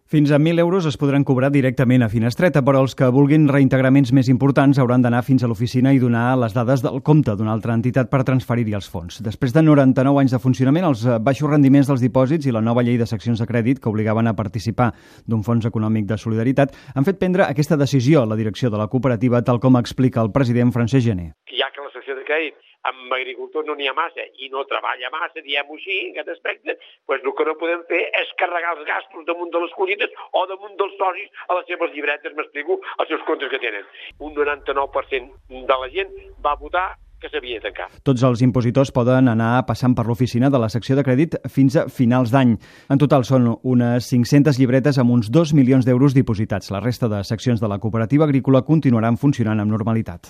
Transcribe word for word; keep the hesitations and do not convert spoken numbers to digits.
Fins a mil euros es podran cobrar directament a Finestreta, però els que vulguin reintegraments més importants hauran d'anar fins a l'oficina i donar les dades del compte d'una altra entitat per transferir-hi els fons. Després de noranta-nou anys de funcionament, els baixos rendiments dels dipòsits i la nova llei de seccions de crèdit que obligaven a participar d'un fons econòmic de solidaritat han fet prendre aquesta decisió a la direcció de la cooperativa, tal com explica el president Francesc Gené. Ja que la secció de crèdit amb agricultors no n'hi ha massa i no treballa massa, diguem-ho així, en aquest aspecte, doncs el que no podem fer és carregar els gastos damunt de les collites o damunt dels socis a les seves llibretes, m'explico, als seus comptes que tenen. Un noranta-nou per cent de la gent va votar que s'havia de tancar. Tots els impositors poden anar passant per l'oficina de la secció de crèdit fins a finals d'any. En total són unes cinc-centes llibretes amb uns dos milions d'euros dipositats. La resta de seccions de la cooperativa agrícola continuaran funcionant amb normalitat.